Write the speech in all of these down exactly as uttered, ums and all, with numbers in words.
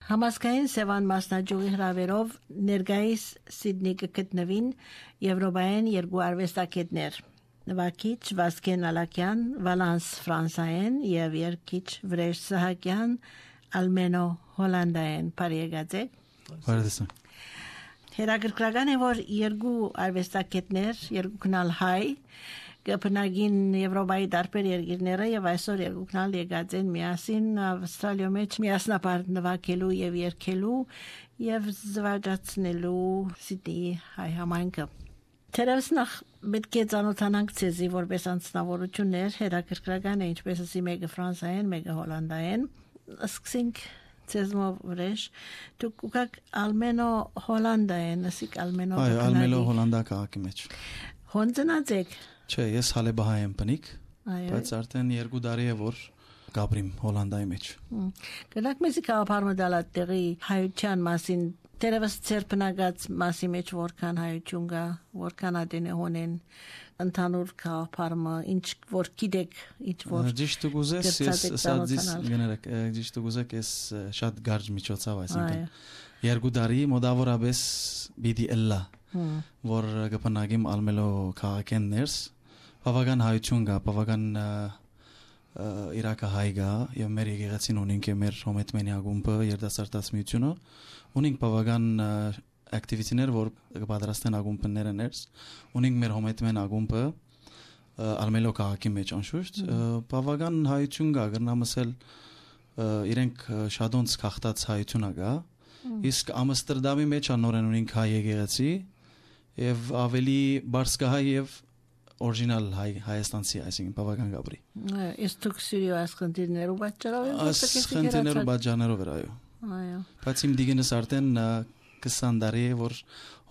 Համասկային Սևան մասնաճյուղի հրավերով ներկայիս Սիդնի կգտնվին Եվրոպայեն երկու արվեստագետներ նվագիչ Վասկեն Ալակյան Վալանս Ֆրանսայեն եւ երգիչ Վրեժ Սահակյան Ալմենո Հոլանդայեն բարեկացեք Բարեցան Հերագրական է որ երկու արվեստագետներ երկու քնալ հայ կապնագին Եվրոպայի տարբեր երկրները եւ այսօր երկու քնալ եկած են միասին Ավստրալիա մեջ միասնապար նվագելու եւ երգելու եւ զվարճացնելու Սիդնի հայ համայնքը Թերևս նախ պետք է ծանոթանանք ցեզի որպես անձնավորություններ հերագրական է ինչպես ասի մեկը ֆրանսայեն մեկը հոլանդայեն սկսենք ցեզմով վրեժ դուք ուղղակ Ալմենո հոլանդայեն ասիկ Ալմենո Այո Ալմենո հոլանդա քաղաքի մեջ Հոնձնացեք Չէ, ես հալեբահայ եմ բնիկ, բայց արդեն երկու տարի է որ գաբրիմ Հոլանդայի մեջ։ Գնաք մեզի կապարմը դալատ տեղի հայության մասին, դերևս ծերպնագած մասի մեջ որքան հայություն կա, որքան ադենե հոնեն, ընդհանուր կապարմը, ինչ որ գիտեք, ինչ որ Ճիշտ ուզես, ես սադիս գներեք, ճիշտ ուզեք, ես շատ գարջ միջոցով այսինքն երկու տարի մոտավորապես բիդի էլլա, որ կպնագիմ Ալմենո քաղաքեն ներս Բավական հայություն կա, բավական իրակա հայ կա եւ մեր եկեղեցին ունենք մեր հոմետմենի ակումբը երդասարտած միությունը ունենք բավական ակտիվիտիներ որ կպատրաստեն ակումբները ներս ունենք մեր հոմետմեն ակումբը Ալմենո քաղաքի մեջ անշուշտ բավական հայություն կա գրնամսել իրենք շադոնց քաղտած հայությունը կա իսկ Ամստերդամի մեջ անորեն ունենք հայ եկեղեցի եւ ավելի բարձ կա հայ եւ Original հայ հայաստանցի այսինքն բավական գաբրի։ Այս դուք սիրիո ասխնդիրներով պատճառով եք ասխնդիրներով պատճառներով էր այո։ Այո։ Բայց իմ դիգենս արդեն քսան տարի է որ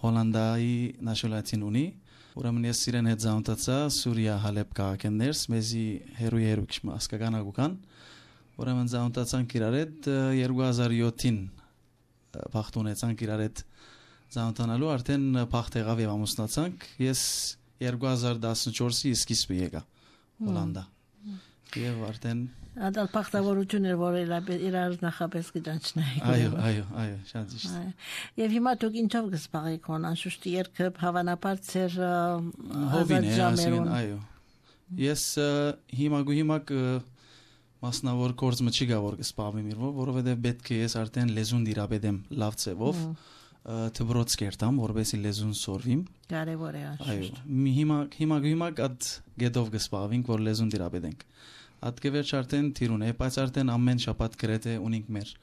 Հոլանդայի նաշնալիտետին ունի։ Ուրեմն ես իրեն հետ զամտացա Սուրիա Հալեբ քաղաքներս մեզի հերու հերու քիչ ասկական ագուկան։ Ուրեմն զամտացանք իրար հետ երկու հազար յոթին փախտունեցանք իրար հետ զամտանալու արդեն փախտ եղավ եւ ամուսնացանք։ Ես երկու հազար տասնչորսի սկիզբը եկա Հոլանդա եւ արդեն ադալ փախտավորություն էր որ իրար նախապես գտանչնայի այո այո այո շատ ճիշտ եւ հիմա դուք ինչով կսպաղեք անշուշտ երկը հավանաբար ծեր հոբին է ասեն այո ես հիմա գուհիմա մասնավոր կորձ մը չի գա որ կսպաղեմ իրվով որովհետեւ պետք է ես արդեն լեզուն դիրապետեմ լավ ծևով Թբրոց կերտամ, որովհետեւ լեզուն սորվիմ։ Կարևոր է անշուշտ։ Այո, հիմա հիմա հիմա կդ գետով կսպավենք, որ լեզուն դիրապետենք։ Այդ կվերջ արդեն թիրուն է, բայց արդեն ամեն շաբաթ գրեթե ունենք մեր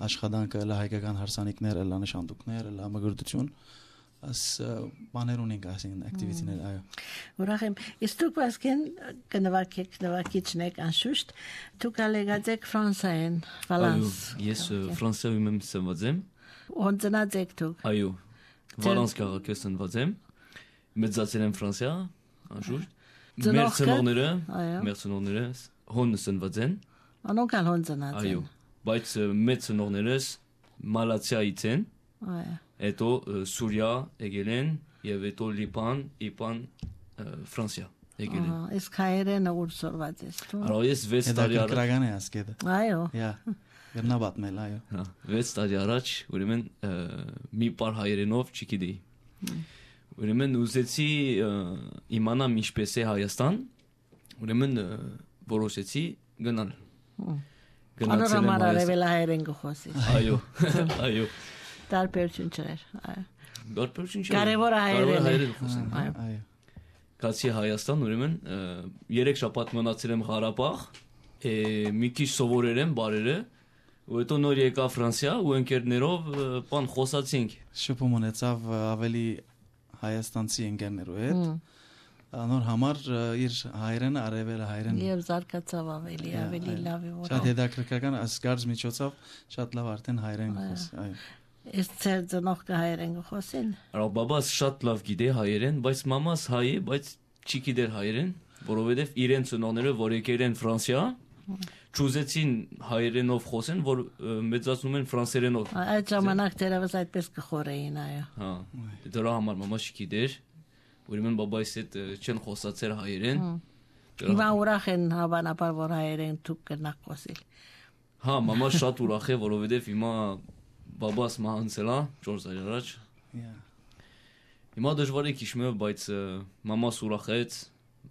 աշխատանքը, լա հայկական հարսանիքներ, լա նշանդուկներ, լա մգրտություն, as բաներ ունենք այսինքն ակտիվիտիներ, այո։ Ուրախ եմ։ Իսկ դուք Վասկեն կնվագեք, նվագիչն եք անշուշտ, դուք ալեգած եք ֆրանսայեն, Վալանս։ Ես ֆրանսիայում եմ սնված եմ։ Հոնձնած եք դուք։ Այո։ Վալանս քաղաքի սնված եմ։ Մեծացել եմ Ֆրանսիա, անշուշտ։ Մեր ծնողները, մեր ծնողները հոն սնված են։ Անոնք ալ հոնձնած են։ Այո։ Բայց մեր ծնողներս Մալացիայից են։ Այո։ Հետո Սուրիա եկել են եւ հետո Լիբան, Իպան, Ֆրանսիա եկել են։ Ահա, իսկ հայերենը ուր սորված ես դու։ Այո, ես վեց տարի առաջ գրական է ասկեդը։ Այո։ Յա։ Գտնաբատմել, այո։ Հա, վեց տարի առաջ ուրեմն մի պար հայերենով չգիտեի։ Ուրեմն ուզեցի իմանամ ինչպես է Հայաստան, ուրեմն որոշեցի գնալ։ Գնացել եմ Հայաստան։ Գխոսի։ Այո, այո։ Տարբերություն չէր, այո։ Տարբերություն չէր։ Կարևոր հայերեն խոսեն։ Այո։ Կացի Հայաստան ուրեմն երեք շաբաթ մնացել եմ Ղարաբաղ, մի քիչ սովորել եմ բարերը, ու հետո նոր եկա Ֆրանսիա ու ընկերներով բան խոսացինք։ Շփում ունեցավ ավելի հայաստանցի ընկերներով հետ։ Անոր համար իր հայրենը արևել հայրեն։ Եվ զարգացավ ավելի, ավելի լավ է որ։ Շատ հետաքրքրական ասկարծ միջոցով շատ լավ արդեն հայրեն խոսի, այո։ Իսկ ծեր ծնող կա հայերեն խոսին։ Այո, բաբաս շատ լավ գիտե հայերեն, բայց մամաս հայ է, բայց չի գիտեր հայերեն, որովհետև իրեն ծնողները որ եկել են Ֆրանսիա, ճուզեցին հայերենով խոսեն, որ մեծացնում են ֆրանսերենով։ Այդ ժամանակ դերևս այդպես կխորեին, այո։ Հա, դրա համար մամա չգիտեր, ուրեմն բաբայիս հետ չեն խոսացել հայերեն։ Հիմա ուրախ են հավանաբար որ հայերեն դուք կնաք խոսել։ Հա, մամա շատ ուրախ է, որովհետև հիմա բաբաս մահանցել է չորս տարի առաջ։ Հիմա դժվար է քիչ մը, բայց մամաս ուրախեց,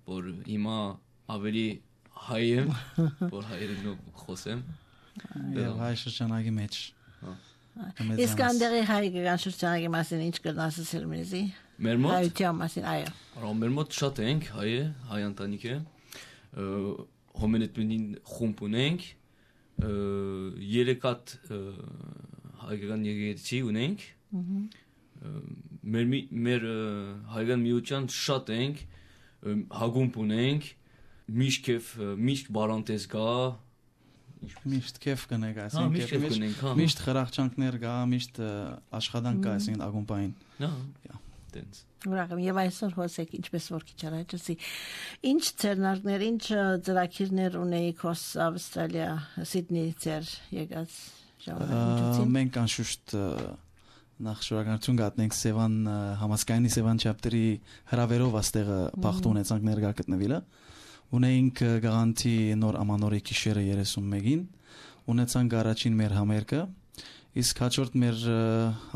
որ հիմա ավելի հայ եմ, որ հայերենով խոսեմ։ Եվ հայ շրջանագի մեջ։ Իսկ անդերի հայկական շրջանագի մասին ինչ կրնաս ասել մեզի։ Մեր մոտ հայության մասին, այո։ Արամ մեր մոտ շատ ենք հայ է, հայ ընտանիք է։ Հոմենետմին խումբ ունենք, երեք հատ հայկական եկեղեցի ունենք։ Մեր մեր հայկական միության շատ ենք, հագումբ ունենք, միշտ կեվ միշտ բարանտես կա, միշտ կեվ կնեք, հա միշտ կեվ կնենք, հա միշտ խրախճանքներ կա, միշտ աշխատանք կա, այսինքն ակումբային։ Հա, տենց։ Ուրախ եմ եւ այսօր հոսեք ինչպես որ քիչ առաջացի։ Ինչ ցերնարկներ, ինչ ծրագիրներ ունեիք հոս Ավստրալիա, Սիդնեի ծեր եկած ժամանակին։ Մենք անշուշտ նախ շնորհակալություն գտնենք Սևան համասկայնի Սևան չապտերի հրավերով աստեղը բախտ ունեցանք ներկա գտնվելը։ Ունեինք գարանտի նոր ամանորի գիշերը երեսունմեկին, ունեցանք առաջին մեր համերգը, իսկ հաջորդ մեր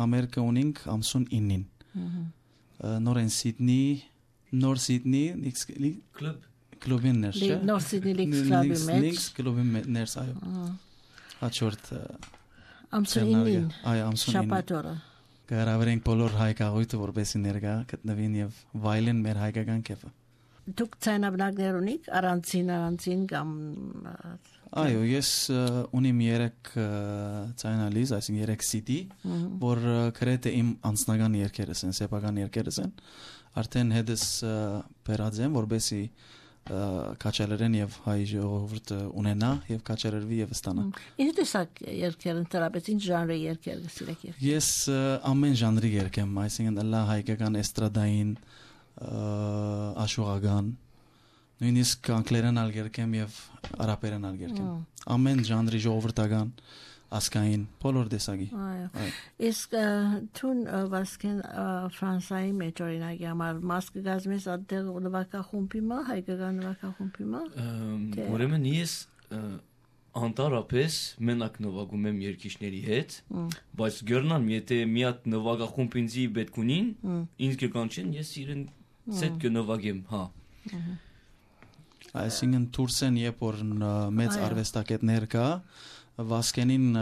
համերգը ունենք ամսուն իննին։ Նոր են Սիդնի, նոր Սիդնի կլուբ կլուբին ներս, չէ՞։ Նոր Սիդնի Լիքս կլուբի մեջ։ Լիքս կլուբի ներս, այո։ Հաջորդ ամսուն իննին։ Այո, ամսուն իննին։ Շաբաթ օրը։ Կհրավիրենք բոլոր հայկաղույթը, որպեսզի ներկա գտնվին եւ վայելեն մեր հայկական կեֆը։ Դուք ցայնաբնակներ ունիք առանցին առանցին կամ Այո, ես ունիմ երեք ցայնալիզ, այսինքն երեք սի դի, որ գրեթե իմ անձնական երգերս են, սեփական երգերս են։ Արդեն հետս բերած եմ, որպեսզի կաչալերեն եւ հայ ժողովուրդը ունենա եւ կաչալերվի եւ ստանա։ Ինչ տեսակ երգեր ընդրապես, ինչ ժանրի երգեր գսիրեք երգ։ Ես ամեն ժանրի երգ եմ, այսինքն լա հայկական էստրադային, աշուղական, նույնիսկ անգլերեն ալ երգ եմ եւ արաբերեն ալ երգ եմ։ Ամեն ժանրի ժողովրդական ասկային բոլոր տեսակի։ Այո։ Իսկ թուն վասկեն Ֆրանսիայի մեջ օրինակ համար մաս կգազմես այդտեղ նվագախումբի մա, հայկական նվագախումբի մա։ Ուրեմն ես անտարապես մենակ նվագում եմ երգիչների հետ, բայց գերնան եթե մի հատ նվագախումբ ինձի պետք ունին, ինձ կկանչեն, ես իրեն սետ կնվագեմ, հա։ Այսինքն Թուրքեն երբ որ մեծ արվեստագետներ կա, Վասկենին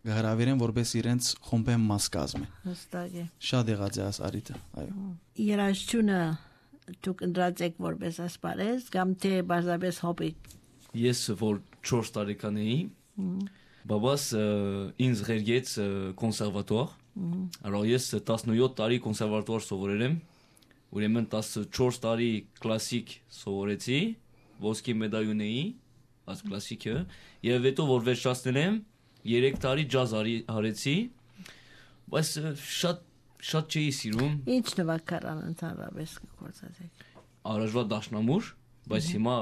հրավիրեն, որպես իրենց խումբեն մաս կազմեն։ Հստակ է։ Շատ եղած է այս արիտը, այո։ Երաժշտությունը դուք ընդրած եք որպես ասպարեզ, կամ թե բարձրապես հոբի։ Ես որ չորս տարեկան էի, բաբաս ինձ ղերգեց կոնսերվատուար, alors ես տասնյոթ տարի կոնսերվատուար սովորել եմ, ուրեմն տասնչորս տարի կլասիկ սովորեցի, ոսկի մեդալ ունեի, այս կլասիկը, եւ հետո որ վերջացնել եմ, երեք տարի ջազ արեցի, բայց շատ շատ չէի սիրում։ Ինչ նվագարան ընդհանրապես կգործացեք։ Առաջվա դաշնամուր, բայց հիմա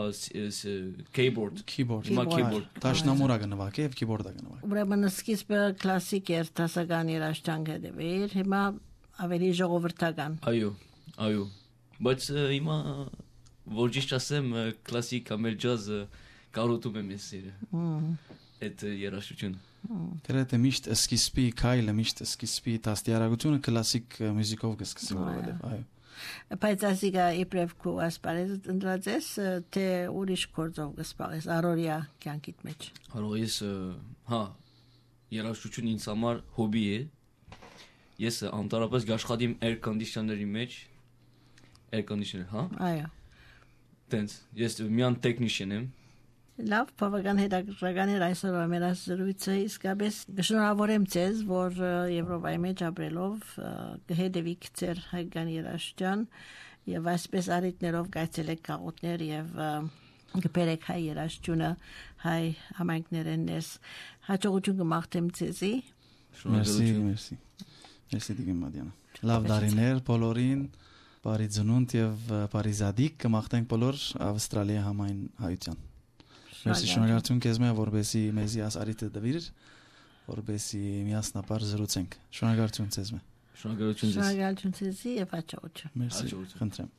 keyboard, keyboard, հիմա keyboard։ Դաշնամուրը կնվագի եւ keyboard-ը կնվագի։ Ուրեմն սկիզբը կլասիկ էր, դասական երաժշտանք էր, հիմա ավելի ժողովրդական։ Այո, այո։ Բայց հիմա որ ճիշտ ասեմ, կլասիկ ամեր ջազը կարոտում եմ ես սիրը։ Այդ երաժշտությունը։ Գրեթե միշտ սկիզբի քայլը, միշտ սկիզբի տաստիարակությունը կլասիկ մյուզիկով կսկսի որովհետև, այո։ Բայց ասիկա իբրև քո ասպարեզ ընդրած ես, թե ուրիշ գործով կսպաղես առօրյա կյանքիդ մեջ։ Հարո ես, հա, երաժշտությունը ինձ համար հոբի է։ Ես անտարապես աշխատիմ air conditioner-ի մեջ, air conditioner, հա։ Այո։ Տենց, ես միան տեխնիշիան եմ։ Լավ, բավական հետաքրքրական էր այսօր մեր զրույցը, իսկապես շնորհավորեմ ձեզ, որ Եվրոպայի մեջ ապրելով կհետևիք ձեր հայկական երաժշտության եւ այսպես արիտներով գայցելեք քաղաքներ եւ կբերեք հայ երաժշտությունը հայ համայնքներեն ես հաջողություն կմաղթեմ ձեզի։ Մերսի, մերսի։ Մերսի դիգեմ Մադիանա։ Լավ դարիներ բոլորին, բարի ծնունդ եւ բարի զադիկ կմաղթենք բոլոր Ավստրալիա համայն հայության։ Մերսի շնորհակալություն քեզ մե որբեսի մեզի աս արիտը դվիր որբեսի միասնապար զրուցենք։ Շնորհակալություն ձեզ մե։ Շնորհակալություն ձեզ։ Շնորհակալություն ձեզի եւ հաջողություն։ Մերսի, խնդրեմ։